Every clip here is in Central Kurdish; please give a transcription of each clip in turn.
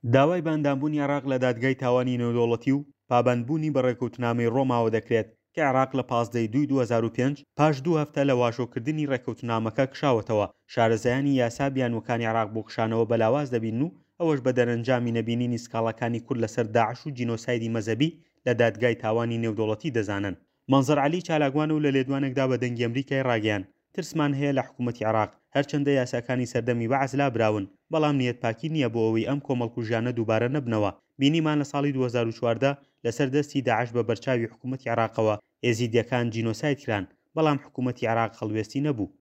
داوای بە ئەندامبوونی عێراق لە دادگای تاوانی نێودەوڵەتی و پابەندبوونی بە ڕێکەوتنامەی ڕۆماوە دەکرێت کە عێراق لە 15 ی دووی 2005 پاش دوو هەفتە لە واژۆکردنی ڕێکەوتنامەکە کشاوەتەوە، شارەزایانی یاسا بیانووەکانی عێراق بۆ کشانەوە بە لاواز دەبینن و ئەوەش بە دەرەنجامی نەبینینی سکاڵاکانی کورد لەسەر داعش و جینۆسایدی مەزهەبی لە دادگای تاوانی نێودەوڵەتی دەزانن. مەنزەر عەلی چالاکوانە و لە لێدوانێکدا بە دەنگی ئەمریکای ڕاگەیاند، ترسمان هەیە لە حکومەتی عێراق، هەرچەندە یاساکانی سەردەمی بەعس لابراون، بەڵام نیەت پاکی نییە بۆ ئەوەی ئەم کۆمەڵکوژیانە دووبارە نەبنەوە، بینیمان لە ساڵی 2014 لەسەر دەستی داعش بە بەرچاوی حکومەتی عێراقەوە ئێزیدیەکان جینۆساید کران، بەڵام حکومەتی عێراق هەڵوێستی نەبوو.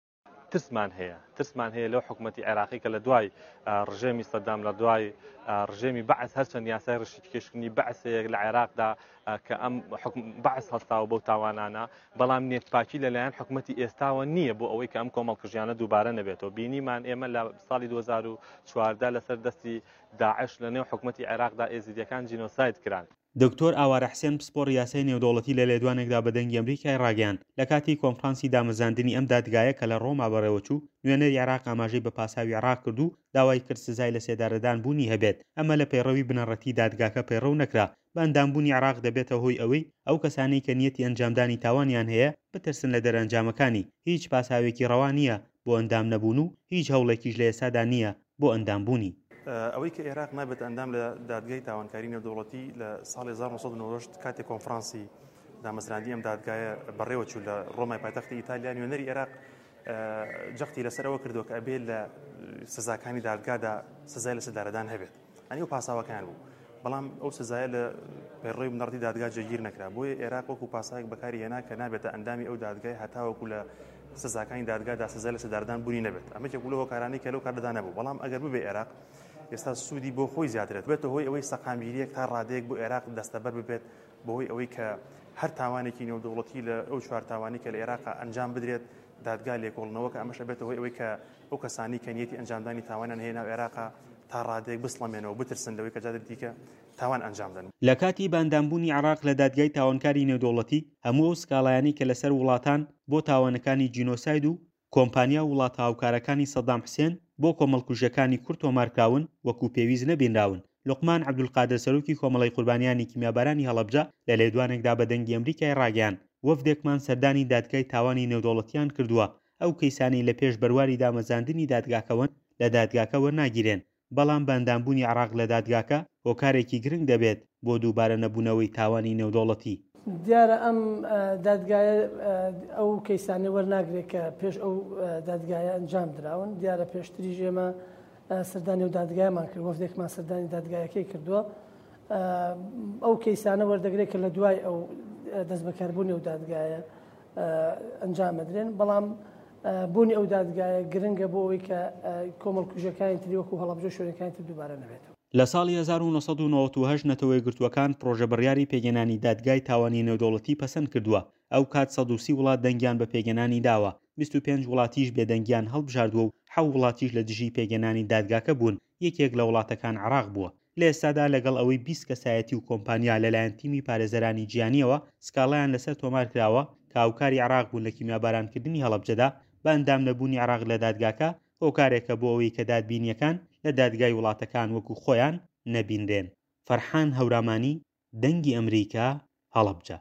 ترسمان هەیە ترسمان هەیە لەو حکوومەتی عێراقی کە لە دوای ڕژێمی سەدام لە دوای ڕژێمی بەعس هەرچەند یاسای ڕشیکێشکردنی بەعس هەیە لە عێراقدا کە ئەم حکم بەعس هەستاوە بەو تاوانانە بەڵام نێتپاکی لەلایەن حکوومەتی ئێستاوە نییە بۆ ئەوەی کە ئەم کۆمەڵکوژیانە دووبارە نەبێتەوە بینیمان ئێمە لە ساڵی 2014 لەسەر دەستی داعش لە نێو حکوومەتی عێراقدا ئێزیدیەکان جینۆساید کران. دکتۆر ئاوارە حسێن پسپۆڕی یاسای نێودەوڵەتی لە لێدوانێکدا بە دەنگی ئەمریکای ڕاگەیاند، لە کاتی کۆنفرانسی دامەزراندنی ئەم دادگایە کە لە ڕۆما بەڕێوەچوو، نوێنەری عێراق ئاماژەی بە پاساوی عێراق کرد و داوای کرد سزای لەسێدارەدان بوونی هەبێت، ئەمە لە پەیڕەوی بنەڕەتی دادگاکە پەیڕەو نەکرا، بە ئەندامبوونی عێراق دەبێتە هۆی ئەوەی ئەو کەسانەی کە نیەتی ئەنجامدانی تاوانیان هەیە بترسن لە دەرئەنجامەکانی، هیچ پاساوێکی ڕەوا نییە بۆ ئەندام نەبوون و هیچ هەوڵێکیش لە ئێستادا نییە بۆ ئەندامبوونی. ئەوەی کە ئێراق نابێتە ئەندام لە دادگای تاوانکاری نێودەوڵەتی لە ساڵی 1998 کاتێک کۆنفرانسی دامەزراندنی ئەم دادگایە بەڕێوە چوو لە ڕۆمای پایتەختی ئیتالیا نوێنەری ئێراق جەختی لەسەر ئەوە کردووە کە ئەبێ لە سزاکانی دادگادا سزای لە سێدارەدان هەبێت ئەنی ئەو پاساوەکان بوو بەڵام ئەو سزایە لە پەیڕەوی بنەڕەتی دادگا جێگیر نەکرا بۆیە ئێراق وەکو پاساوێک بەکاری هێنا کە نابێتە ئەندامی ئەو دادگای هەتاوەکو لە سزاکانی دادگادا سزای لە سێدارەدان بوونی نەبێت ئەمە یەکێک بوو لەو هۆکارانەی کە لەو کاتەدا نەبوو بەڵام ئەگەر ببێ ئێراق ئێستا سوودی بۆ خۆی زیاترێت بێتە هۆی ئەوەی سەقامگیریەک تا ڕادەیەک بۆ ئێراق دەستەبەر ببێت بەهۆی ئەوەی کە هەر تاوانێکی نێودەوڵەتی لە ئەو چوار تاوانی کە لە ئێراق ئەنجام بدرێت دادگا لێکۆڵنەوە کە ئەمەش ئەبێتە هۆی ئەوەی کە ئەو کەسانی کە نیەتی ئەنجامدانی تاوانیان هەیە ناو عێراقا تا ڕادەیەک بسڵەمێنەوە بترسن لەوەی کە جارێکی دیکە تاوان ئەنجام دەن. لە کاتی بە ئەندامبوونی عێراق لە دادگای تاوانکاری نێودەوڵەتی، هەموو ئەو سکاڵایانەی کە لەسەر وڵاتان بۆ تاوانەکانی جینۆساید و کۆمپانیا و وڵاتە هاوکارەکانی سەدام حسێن بۆ کۆمەڵکوژیەکانی کورد تۆمارکراون وەکو پێویست نەبینراون. لوقمان عەبدولقادر سەرۆکی کۆمەڵەی قوربانیانی کیمیابارانی هەڵەبجە لە لێدوانێکدا بە دەنگی ئەمریکای ڕاگەیاند، وەفدێکمان سەردانی دادگای تاوانی نێودەوڵەتیان کردووە، ئەو کەیسانەی لە پێش بەرواری دامەزاندنی دادگاکەوەن لە دادگاکە وەرناگیرێن، بەڵام بە ئەندامبوونی عێراق لە دادگاکە هۆکارێکی گرنگ دەبێت بۆ دووبارە نەبوونەوەی تاوانی نێودەوڵەتی. دیارە ئەم دادگایە ئەو کەیسانەی وەرناگرێت کە پێش ئەو دادگایە ئەنجام دراون، دیارە پێشتریش ئێمە سەردانی ئەو دادگایەمان کرد، وەفدێکمان سەردانی دادگایەکەی کردووە، ئەو کەیسانە وەردەگرێت کە لە دوای ئەو دەستبەکاربوونی ئەو دادگایە ئەنجام ئەدرێن، بەڵام بوونی ئەو دادگایە گرنگە بۆ ئەوەی کە کۆمەڵکوژیەکانی تری وەکو هەڵەبجە و شوێنەکانی تر دووبارە نەبێتەوە. لە ساڵی 1998 نەتەوەیەکگرتووەکان پڕۆژە بڕیاری پێکهێنانی دادگای تاوانی نێودەوڵەتی پەسەند کردووە، ئەو کات 130 وڵات دەنگیان بە پێکهێنانی داوە، 25 وڵاتیش بێدەنگیان هەڵبژاردووە و حەو وڵاتیش لە دژی پێکهێنانی دادگاکە بوون، یەکێک لە وڵاتەکان عێراق بووە. لە ئێستادا لەگەڵ ئەوەی 20 کەسایەتی و کۆمپانیا لەلایەن تیمی پارێزەرانی جیهانییەوە سکاڵایان لەسەر تۆمارکراوە کە هاوکاری عێراق بوون لە کیمیابارانکردنی هەڵەبجەدا، بە ئەندام نەبوونی عێراق لە دادگاکە هۆکارێکە بۆ ئەوەی کە دادبینییەکان لە دادگای وڵاتەکان وەکو خۆیان نەبینرێن. فەرحان هەورامانی، دەنگی ئەمریکا، هەڵەبجە.